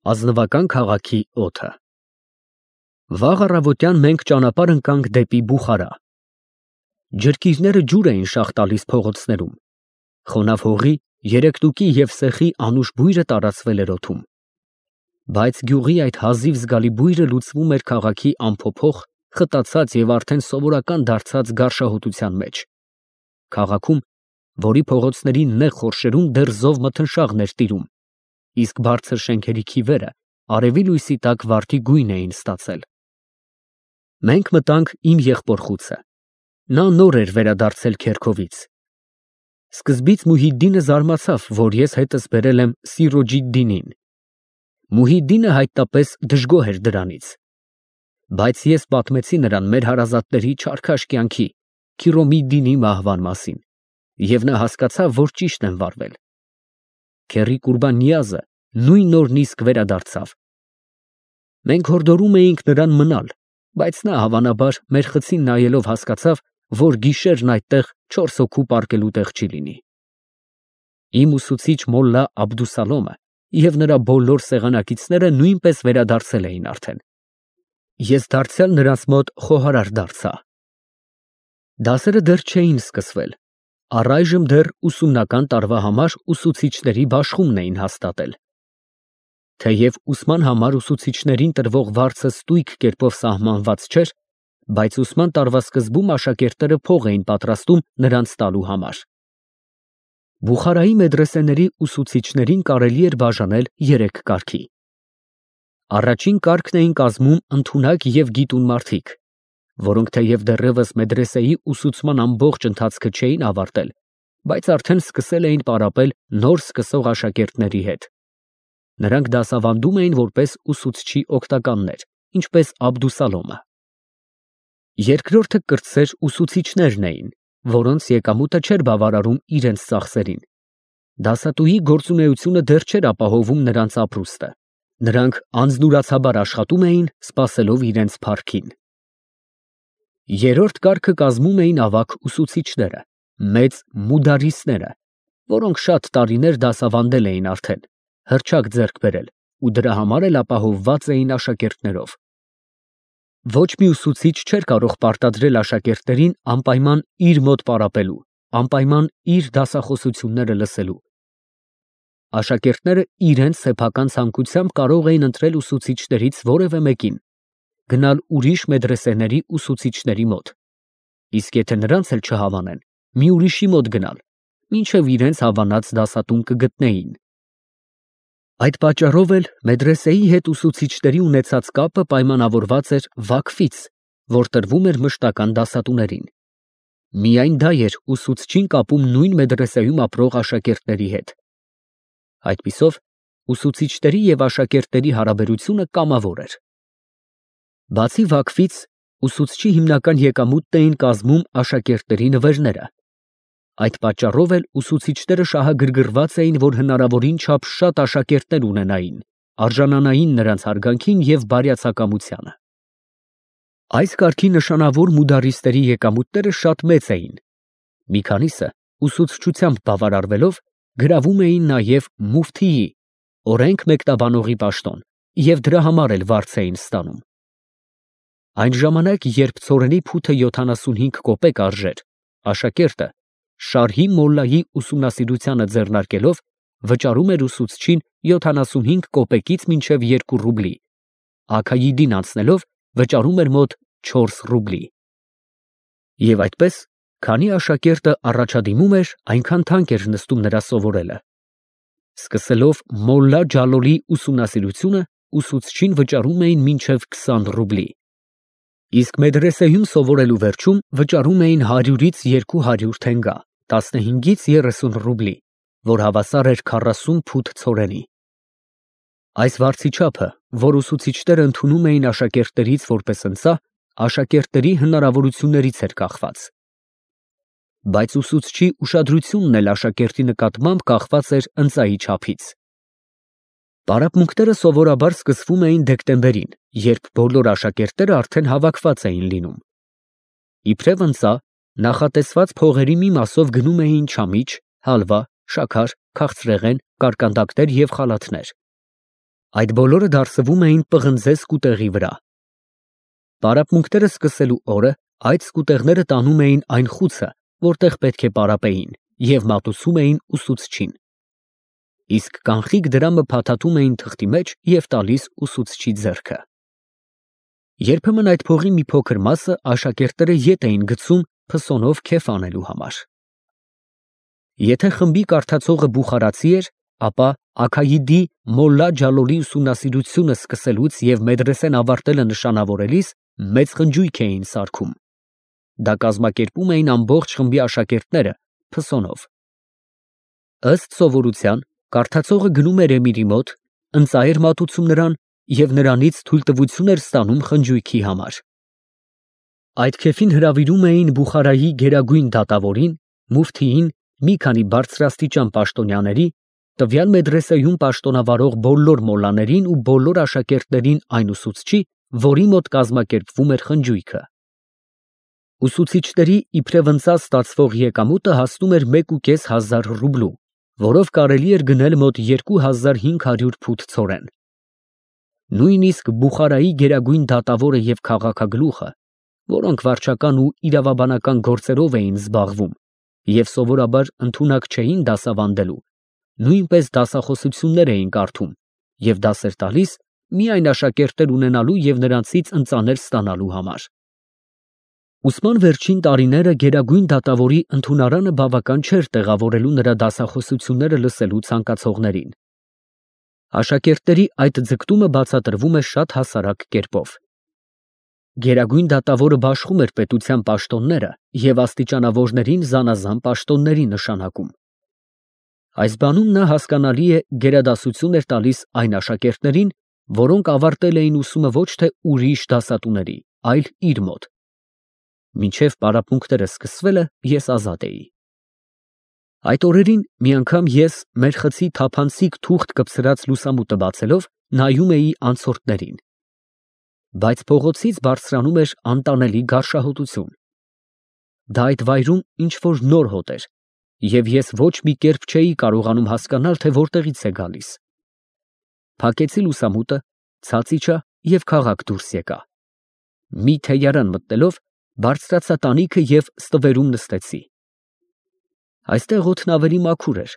Ազնվական քաղաքի օդը։ Վաղ առավոտյան մենք ճանապարհ ընկանք դեպի Բուխարա։ Ջրկիրները ջուր էին շաղ տալիս փողոցներում։ Խոնավ հողի, երեկտուկի և սեխի անուշ բույրը տարածվել էր օդում։ Բայց գյուղի այդ հազիվ զգալի բույրը լուծվում էր քաղաքի անփոփոխ, խտացած և արդեն սովորական դարձած գարշահոտության մեջ։ Քաղաքում, որի փողոցների նեղ խորշերում դեռ զով մթնշաղն էր տիրում, իսկ բարձր շենքերի քիվերը արևի լույսի տակ վարդի գույն էին ստացել։ Մենք մտանք իմ եղբոր խուցը։ Նա նոր էր վերադարձել քերքովից։ Սկզբից Մուհիդդինը զարմացավ, որ ես հետս բերել եմ Սիրոջիդդինին։ Մուհիդդինը հայտնապես դժգոհ էր դրանից։ Բայց ես պատմեցի նրան մեր հարազատների չարքաշ կյանքի, Քիրոմիդդինի մահվան մասին, և նա հասկացավ, որ ճիշտ եմ վարվել։ Քեռի Կուրբան Նիազը նույն օրն իսկ վերադարձավ։ Մենք հորդորում էինք նրան մնալ, բայց նա հավանաբար մեր խցին նայելով հասկացավ, որ գիշերն այդտեղ 4 հոգու պառկելու տեղ չի լինի։ Իմ ուսուցիչ մոլլա Աբդուսալոմը և նրա բոլոր սեղանակիցները նույնպես վերադարձել էին արդեն։ Ես դարձյալ նրանց մոտ խոհարար դարձա։ Դասերը դեռ չէին սկսվել, առայժմ դեռ ուսումնական տարվա համար ուսուցիչների բաշխումն էին հաստատել։ Թեև ուսման համար ուսուցիչներին տրվող վարձը ստույգ կերպով սահմանված չէր, բայց ուսման տարվա սկզբում աշակերտները փող էին պատրաստում նրանց տալու համար։ Բուխարայի մեդրեսեների ուսուցիչներին կարելի էր բաժանել 3 կարգի։ Առաջին կարգն էին կազմում ընդունակ և գիտուն մարդիկ, որոնք թեև դեռևս մեդրեսեի ուսուցման ամբողջ ընթացքը չէին ավարտել, բայց արդեն սկսել էին պարապել նոր սկսող աշակերտների հետ։ Նրանք դասավանդում էին որպես ուսուցչի օգնականներ, ինչպես Աբդուսալոմը։ Երկրորդը կրտսեր ուսուցիչներն էին, որոնց եկամուտը չէր բավարարում իրենց ծախսերին։ Դասատուի գործունեությունը դեռ չէր ապահովում նրանց ապրուստը։ Նրանք անձնուրացաբար աշխատում էին, սպասելով իրենց փառքին։ Երրորդ կարգը կազմում էին ավագ ուսուցիչները, մեծ մուդարիսները, որոնք շատ տարիներ դասավանդել էին արդեն, հռչակ ձեռք բերել ու դրա համար էլ ապահովված էին աշակերտներով։ Ոչ մի ուսուցիչ չէր կարող պարտադրել աշակերտներին անպայման իր մոտ պարապելու, անպայման իր դասախոսությունները լսելու։ Աշակերտները իրենց սեփական ցանկությամբ կարող էին ընտրել ուսուցիչներից որևէ մեկին, գնալ ուրիշ մեդրեսեների ուսուցիչների մոտ, իսկ եթե նրանց էլ չհավանեն, մի ուրիշի մոտ գնալ, մինչև իրենց հավանած դասատուն կգտնեին։ Այդ պատճառով էլ մեդրեսեի հետ ուսուցիչների ունեցած կապը պայմանավորված էր վաքֆից, որ տրվում էր մշտական դասատուներին։ Միայն դա էր ուսուցչին կապում նույն մեդրեսեում ապրող աշակերտների հետ։ Այդպիսով ուսուցիչների և աշակերտների հարաբերությունը կամավոր էր։ Բացի վաքֆից, ուսուցչի հիմնական եկամուտն էին կազմում աշակերտների նվերները։ Այդ պատճառով էլ ուսուցիչները շահագրգռված էին, որ հնարավորին չափ շատ աշակերտներ ունենային, արժանանային նրանց հարգանքին և բարյացակամությանը։ Այս կարգի նշանավոր մուդարիստերի եկամուտները շատ մեծ էին։ Մի քանիսը, ուսուցչությամբ բավարարվելով, գրավում էին նաև մուֆթիի, օրենք մեկնաբանողի պաշտոն, և դրա համար էլ վարձ էին ստանում։ Այն ժամանակ, երբ ցորենի փութը 75 կոպեկ արժեր, աշակերտը Շարհի մոլլայի ուսումնասիրությանը ձեռնարկելով վճարում էր ուսուցչին 75 կոպեկից մինչև 2 ռուբլի, աքայիդին անցնելով վճարում էր մոտ 4 ռուբլի։ Եվ այդպես, քանի աշակերտը առաջադիմում էր, այնքան թանկ էր նստում նրա սովորելը։ Սկսելով մոլլա Ջալոլի ուսումնասիրությունը, ուսուցչին վճարում էին մինչև 20 ռուբլի։ Իսկ մեդրեսեում սովորելու վերջում վճարում էին 100-ից 200 թենգա, 15-ից 30 ռուբլի, որ հավասար էր 40 փութ ցորենի։ Այս վարձիչափը, որ ուսուցիչները ընդունում էին աշակերտներից որպես ընծա, աշակերտների հնարավորություններից էր կախված։ Բայց ուսուցչի ուշադրությունն էլ աշակերտի նկատմամբ կախված էր ընծայի չափից։ Պարապմունքները սովորաբար սկսվում էին դեկտեմբերին, երբ բոլոր աշակերտները արդեն հավաքված էին լինում։ Իբրև ընծա, նախատեսված փողերի մի մասով գնում էին չամիչ, հալվա, շաքար, քաղցրեղեն, կարկանդակներ և խալաթներ։ Այդ բոլորը դարսվում էին պղնձե սկուտեղի վրա։ Պարապմունքները սկսելու օրը այդ սկուտեղները տանում էին այն խուցը, որտեղ պետք է պարապեին, և մատուցում էին ուսուցչին։ Իսկ կանխիկ դրամը փաթաթում էին թղթի մեջ և տալիս ուսուցչի ձեռքը։ Երբեմն այդ փողի մի փոքր մասը աշակերտները ետ էին գցում փսոնով քեֆ անելու համար։ Եթե խմբի կարդացողը բուխարացի էր, ապա Աքայիդի Մոլլա Ջալոլի ուսումնասիրությունը սկսելուց և մեդրեսեն ավարտելը նշանավորելիս մեծ խնջույք էին սարքում։ Դա կազմակերպում էին ամբողջ խմբի աշակերտները փսոնով։ Ըստ սովորության, կարդացողը գնում էր Էմիրի մոտ, ընծայր մատուցում նրան և նրանից թույլտվություն էր ստանում խնջույքի համար։ Այդ քեֆին հրավիրում էին Բուխարայի գերագույն դատավորին, մուֆթիին, մի քանի բարձրաստիճան պաշտոնյաների, տվյալ մեդրեսեյում պաշտոնավարող բոլոր մոլլաներին ու բոլոր աշակերտներին այն ուսուցչի, որի մոտ կազմակերպվում էր խնջույքը։ Ուսուցիչների իբրև ընծած ստացվող եկամուտը հասնում էր 1,500 ռուբլու, որով կարելի էր գնել մոտ 2500 փութ ցորեն։ Նույնիսկ Բուխարայի գերագույն դատավորը և քաղաքագլուխը, որոնք վարչական ու իրավաբանական գործերով էին զբաղվում և սովորաբար ընդունակ չէին դասավանդելու, նույնպես դասախոսություններ էին կարդում և դասեր տալիս միայն աշակերտներ ունենալու և նրանցից ընծաներ ստանալու համար։ Ուսման վերջին տարիները գերագույն դատավորի ընդունարանը բավական չէր տեղավորելու նրա դասախոսությունները լսելու ցանկացողներին։ Աշակերտների այդ ձգտումը բացատրվում է շատ հասարակ կերպով։ Գերագույն դատավորը բաշխում էր պետության պաշտոնները և աստիճանավորներին զանազան պաշտոնների նշանակում։ Այս բանում նա հասկանալի է գերադասություն էր տալիս այն աշակերտներին, որոնք ավարտել էին ուսումը ոչ թե ուրիշ դասատուների, այլ իր մոտ։ Մինչև պարապմունքները սկսվելը ես ազատ էի։ Այդ օրերին մի անգամ ես մեր խցի թափանցիկ թուղթ կպցրած լուսամուտը բացելով նայում էի անցորդներին։ Բայց փողոցից բարձրանում էր անտանելի գարշահոտություն։ Դա այդ վայրում ինչ-որ նոր հոտ էր, և ես ոչ մի կերպ չէի կարողանում հասկանալ, թե որտեղից է գալիս։ Փակեցի լուսամուտը, ցած իջա և քաղաք դուրս եկա։ Մի թեյարան մտնելով բարձրացա տանիքը և ստվերում նստեցի։ Այստեղ օդն ավելի մաքուր էր,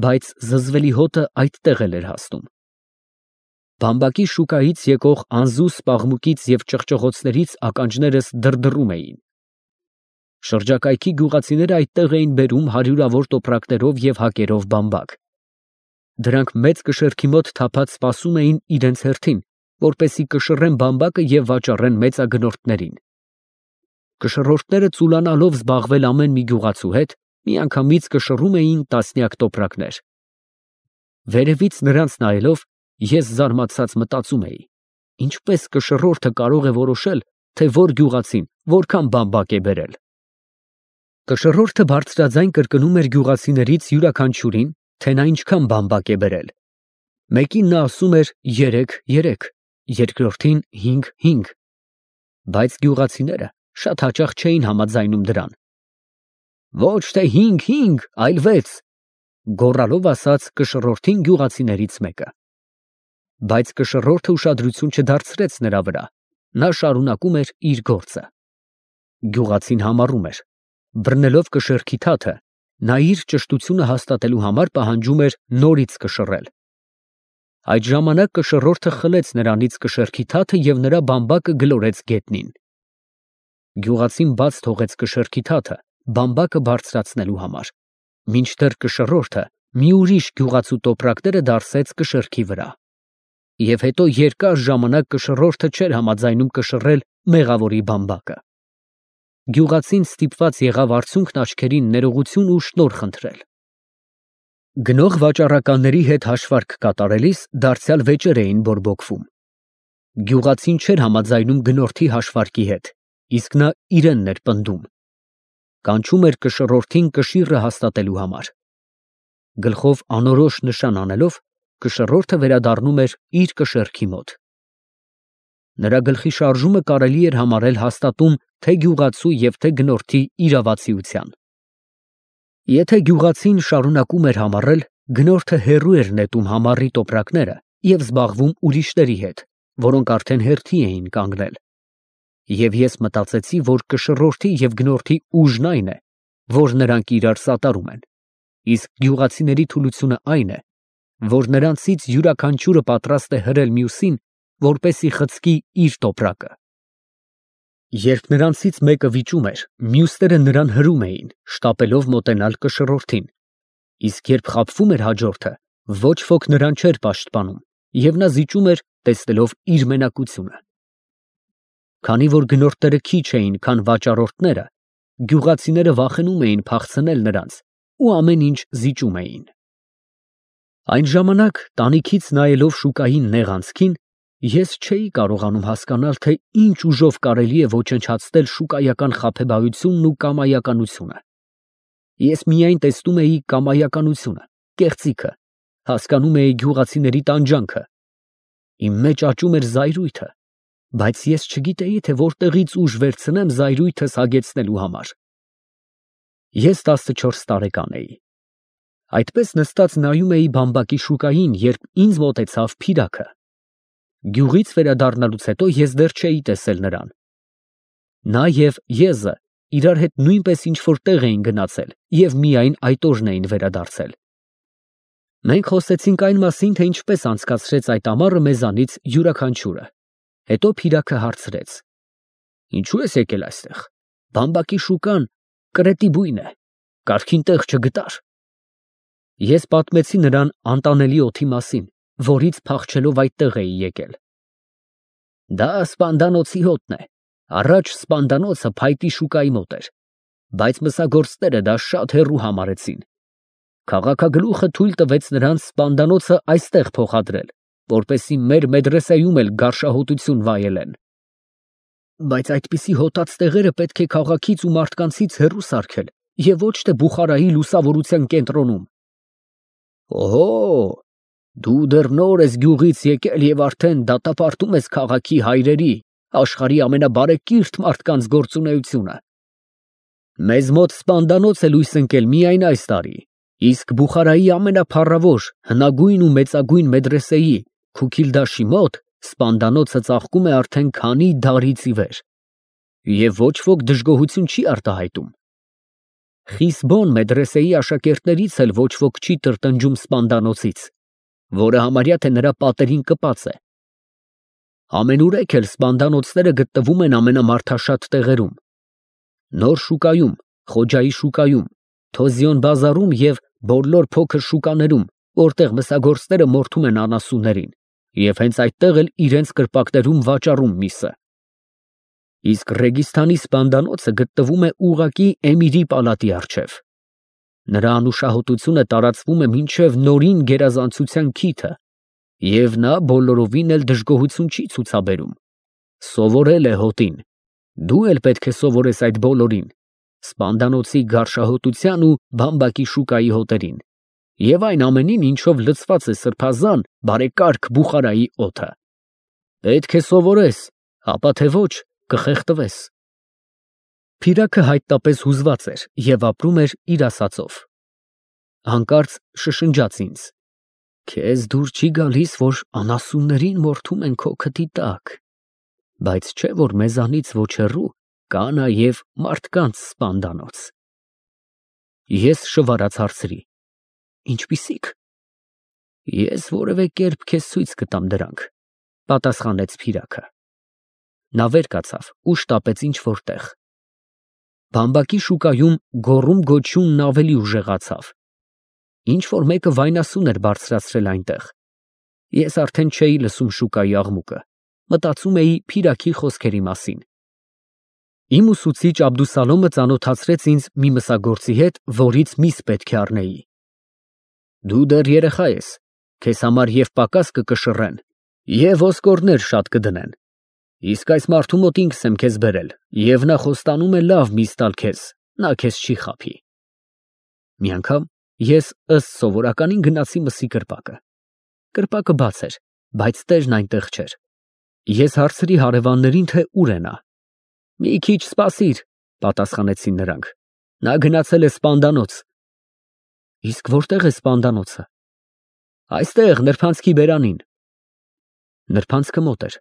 բայց զզվելի հոտը այդտեղ էլ էր հասնում։ Բամբակի շուկայից եկող անզուս պաղմուկից և ճղճղոցներից ականջներս դրդռում էին։ Շրջակայքի գյուղացիները այդտեղ էին բերում հարյուրավոր տոպրակներով և հակերով բամբակ։ Դրանք մեծ կշեռքի մոտ թափած սպասում էին իրենց հերթին, որպեսզի կշռեն բամբակը և վաճառեն մեծագնորդներին։ Կշռորդները ծուլանալով զբաղվել ամեն մի գյուղացու հետ, միանգամից կշռում էին տասնյակ տոպրակներ։ Վերևից նրանց նայելով, ես զարմացած մտածում էի. ինչպես կշռորդը կարող է որոշել, թե որ գյուղացին որքան բամբակ է բերել։ Կշռորդը բարձրաձայն կրկնում էր գյուղացիներից յուրաքանչյուրին, թե նա ինչքան բամբակ է բերել։ Մեկին նա ասում էր 3, երկրորդին 5, բայց գյուղացիները շատ հաճախ չէին համաձայնում դրան։ Ոչ թե 5, այլ 6, գոռալով ասաց կշռորդին գյուղացիներից մեկը։ Բայց կշռորդը ուշադրություն չդարձրեց նրա վրա, նա շարունակում էր իր գործը։ Գյուղացին համառում էր։ Բռնելով կշեռքի թաթը, նա իր ճշտությունը հաստատելու համար պահանջում էր նորից կշռել։ Այդ ժամանակ կշռորդը խլեց նրանից կշեռքի թաթը և նրա բամբակը գլորեց գետնին։ Գյուղացին բաց թողեց կշեռքի թաթը բամբակը բարձրացնելու համար, մինչդեռ կշռորդը մի ուրիշ գյուղացու տոպրակները դարսեց կշեռքի վրա։ Եվ հետո երկար ժամանակ կշռորդը չէր համաձայնում կշռել մեղավորի բամբակը։ Գյուղացին ստիպված եղավ արցունքն աչքերին ներողություն ու շնորհ խնդրել։ Գնող վաճառականների հետ հաշվարկ կատարելիս դարձյալ վեճեր էին բորբոքվում։ Գյուղացին չէր համաձայնում գնորդի հաշվարկի հետ, իսկ նա իրենն էր պնդում։ Կանչում էր կշռորդին կշիռը հաստատելու համար։ Գլխով անորոշ նշան անելով, կշռորդը վերադառնում էր իր կշեռքի մոտ։ Նրա գլխի շարժումը կարելի էր համարել հաստատում թե գյուղացու և թե գնորդի իրավացիության։ Եթե գյուղացին շարունակում էր համառել, գնորդը հեռու էր նետում համառի տոպրակները և զբաղվում ուրիշների հետ, որոնք արդեն հերթի էին կանգնել։ Եվ ես մտածեցի, որ կշռորդի և գնորդի ուժն այն է, որ նրանք իրար սատարում են, իսկ գյուղացիների թուլությունը այն է, որ նրանցից յուրաքանչյուրը պատրաստ է հրել մյուսին, որպեսզի խցկի իր տոպրակը։ Երբ նրանցից մեկը վիճում էր, մյուսները նրան հրում էին, շտապելով մոտենալ կշռորդին, իսկ երբ խաբվում էր հաջորդը, ոչ ոք նրան չէր պաշտպանում, և նա զիջում էր, տեսնելով իր մենակությունը։ Քանի որ գնորդները քիչ էին, քան վաճառորդները, գյուղացիները վախենում էին փախցնել նրանց ու ամեն ինչ զիջում էին։ Այն ժամանակ, տանիքից նայելով շուկային նեղ անցքին, ես չէի կարողանում հասկանալ, թե ինչ ուժով կարելի է ոչնչացնել շուկայական խաբեբայությունն ու կամայականությունը։ Ես միայն տեսնում էի կամայականությունը, կեղծիքը, հասկանում էի գյուղացիների տանջանքը։ Իմ մեջ աճում էր զայրույթը, բայց ես չգիտեի, թե որտեղից ուժ վերցնեմ զայրույթս հագեցնելու համար։ Ես 14 տարեկան էի։ Այդպես նստած նայում էի բամբակի շուկային, երբ ինձ մոտեցավ Փիրակը։ Գյուղից վերադառնալուց հետո ես դեռ չէի տեսել նրան։ Նա և Եզը իրար հետ նույնպես ինչ-որ տեղ էին գնացել և միայն այդ օրն էին վերադարձել։ Մենք խոսեցինք այն մասին, թե ինչպես անցկացրեց այդ ամառը մեզանից յուրաքանչյուրը։ Հետո Փիրակը հարցրեց. «Ինչու ես եկել այստեղ։ Բամբակի շուկան կրետի բույն է, կարգին տեղ չգտար»։ Ես պատմեցի նրան անտանելի օդի մասին, որից փախչելով այդտեղ էի եկել։ Դա Սպանդանոցի հոտն է, առաջ Սպանդանոցը փայտի շուկայի մոտ էր, բայց մսագործները դա շատ հեռու համարեցին։ Քաղաքագլուխը թույլ տվեց նրանց Սպանդանոցը այստեղ փոխադրել, որպեսզի մեր մեդրեսեում էլ գարշահոտություն վայելեն։ Բայց այդպիսի հոտած տեղերը պետք է քաղաքից ու մարդկանցից հեռու սարքել և ոչ թե Բուխարայի լուսավորության կենտրոնում։ Օհո, դու դեռ նոր ես գյուղից եկել և արդեն դատապարտում ես քաղաքի հայրերի, աշխարհի ամենաբարեկիրթ մարդկանց գործունեությունը։ Մեզ մոտ Սպանդանոց է լույս ընկել միայն այս տարի, իսկ Բուխարայի ամենափառավոր, հնագույն ու մեծագույն մեդրեսեի Քուքիլդաշի մոտ Սպանդանոցը ծաղկում է արդեն քանի դարից ի վեր, և ոչ ոք դժգոհություն չի արտահայտում։ Խիսբոն մեդրեսեի աշակերտներից էլ ոչ ոք չի տրտնջում Սպանդանոցից, որը համարյա թե նրա պատերին կպած է։ Ամենուրեք էլ սպանդանոցները գտնվում են ամենամարդաշատ տեղերում։ Նոր շուկայում, Խոջայի շուկայում, Թոզիոն բազարում և բոլոր փոքր շուկաներում, որտեղ մսագործները մորթում են անասուններին, և հենց այդտեղ էլ իրենց կրպակներում վաճառում միսը։ Իսկ Ռեգիստանի Սպանդանոցը գտնվում է ուղղակի Էմիրի պալատի առջև։ Նրա անուշահոտությունը տարածվում է մինչև Նորին գերազանցության քիթը, և նա բոլորովին էլ դժգոհություն չի ցուցաբերում։ Սովորել է հոտին, դու էլ պետք է սովորես այդ բոլորին, Սպանդանոցի գարշահոտության ու բամբակի շուկայի հոտերին, և այն ամենին, ինչով լցված է սրբազան, բարեկարգ Բուխարայի օդը։ Պետք է սովորես, ապա թե ոչ կխեղդվես։ Փիրակը հայտնապես հուզված էր և ապրում էր իր ասածով։ Հանկարծ շշնջաց ինձ. Քեզ դուր չի գալիս, որ անասուններին մորթում են քո քթի տակ, բայց չէ որ մեզանից ոչ հեռու կա նաև մարդկանց Սպանդանոց։ Ես շվարած հարցրի. Ինչպիսի՞ք։ Ես որևէ կերպ քեզ ցույց կտամ դրանք, պատասխանեց Փիրակը։ Նա վեր կացավ ու շտապեց ինչ֊որ տեղ։ Բամբակի շուկայում գոռում֊գոչյունն ավելի ուժեղացավ։ Ինչ֊որ մեկը վայնասուն էր բարձրացրել այնտեղ։ Ես արդեն չէի լսում շուկայի աղմուկը, մտածում էի Փիրակի խոսքերի մասին։ Իմ ուսուցիչ Աբդուսալոմը ծանոթացրեց ինձ մի մսագործի հետ, որից միս պետք է առնեի։ Դու դեռ երեխա ես, քեզ համար և պակաս կկշռեն, և ոսկորներ շատ կդնեն, իսկ այս մարդու մոտ ինքս եմ քեզ բերել, և նա խոստանում է լավ միս տալ քեզ, նա քեզ չի խաբի։ Մի անգամ ես ըստ սովորականին գնացի մսի կրպակը։ Կրպակը բաց էր, բայց տերն այնտեղ չէր։ Ես հարցրի հարևաններին, թե ուր է նա։ Մի քիչ սպասիր, պատասխանեցին նրանք։ Նա գնացել է Սպանդանոց։ Իսկ որտե՞ղ է Սպանդանոցը։ Այստեղ, նրբանցքի բերանին։ Նրբանցքը մոտ էր։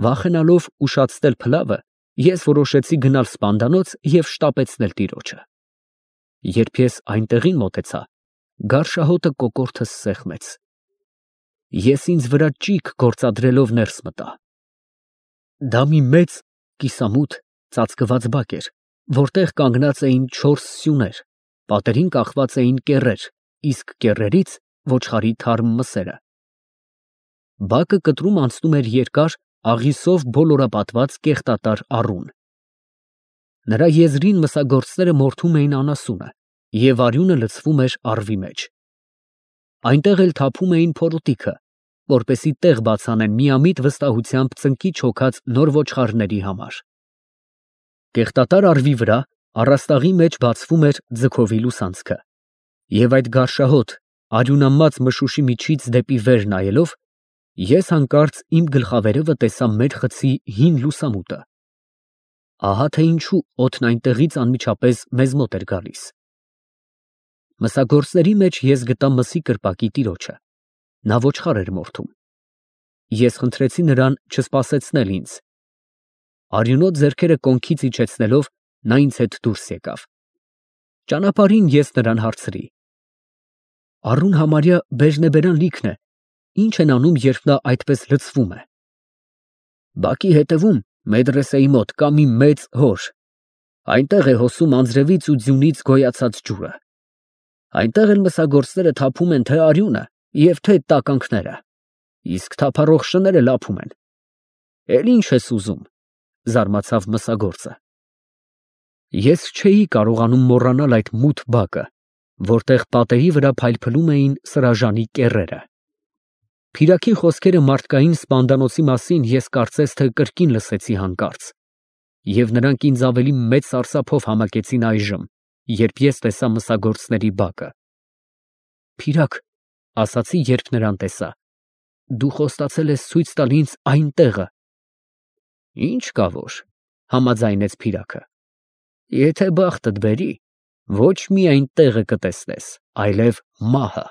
Վախենալով ուշացնել փլավը, ես որոշեցի գնալ սպանդանոց և շտապեցնել տիրոջը։ Երբ ես այնտեղին մոտեցա, գարշահոտը կոկորդս սեղմեց։ Ես ինձ վրա ճիգ գործադրելով ներս մտա։ Դա մի մեծ, կիսամութ, ծածկված բակ էր, որտեղ կանգնած էին 4 սյուներ, պատերին կախված էին կեռեր, իսկ կեռերից ոչխարի թարմ մսերը։ Բակը կտրում անցնում էր երկար, աղյուսով բոլորապատված կեղտատար առուն։ Նրա եզրին մսագործները մորթում էին անասունը, և արյունը լցվում էր առվի մեջ։ Այնտեղ էլ թափում էին փորոտիքը, որպեսզի տեղ բաց անեն միամիտ վստահությամբ ծնկի չոքած նոր ոչխարների համար։ Կեղտատար առվի վրա առաստաղի մեջ բացվում էր ձգովի լուսանցքը, և այդ գարշահոտ, արյունամած մշուշի միջից դեպի վեր նայելով, ես հանկարծ իմ գլխավերևը տեսա մեր խցի հին լուսամուտը։ Ահա թե ինչու օդն այնտեղից անմիջապես մեզ մոտ էր գալիս։ Մսագործների մեջ ես գտա մսի կրպակի տիրոջը։ Նա ոչխար էր մորթում։ Ես խնդրեցի նրան չսպասեցնել ինձ։ Արյունոտ ձեռքերը կոնքից իջեցնելով, նա ինձ հետ դուրս եկավ։ Ճանապարհին ես նրան հարցրի. «Առուն համարյա բերնեբերան լիքն է, ի՞նչ են անում, երբ նա այդպես լցվում է»։ «Բակի հետևում, մեդրեսեի մոտ, կա մի մեծ հոր. այնտեղ է հոսում անձրևից ու ձյունից գոյացած ջուրը։ Այնտեղ էլ մսագործները թափում են թե արյունը և թե տականքները, իսկ թափառող շները լափում են»։ «Էլ ի՞նչ ես ուզում», զարմացավ մսագործը։ Ես չէի կարողանում մոռանալ այդ մութ բակը, որտեղ պատերի վրա փայլփլում էին սրաժանի կեռերը։ Փիրակի խոսքերը մարդկային սպանդանոցի մասին ես կարծես թե կրկին լսեցի հանկարծ, և նրանք ինձ ավելի մեծ սարսափով համակեցին այժմ, երբ ես տեսա մսագործների բակը։ «Փիրակ, ֊ ասացի, երբ նրան տեսա, ֊ դու խոստացել ես ցույց տալ ինձ այն տեղը»։ «Ինչ կա որ, ֊ համաձայնեց փիրակը, ֊ եթե բախտդ բերի, ոչ միայն տեղը կտեսնես, այլև մահը»։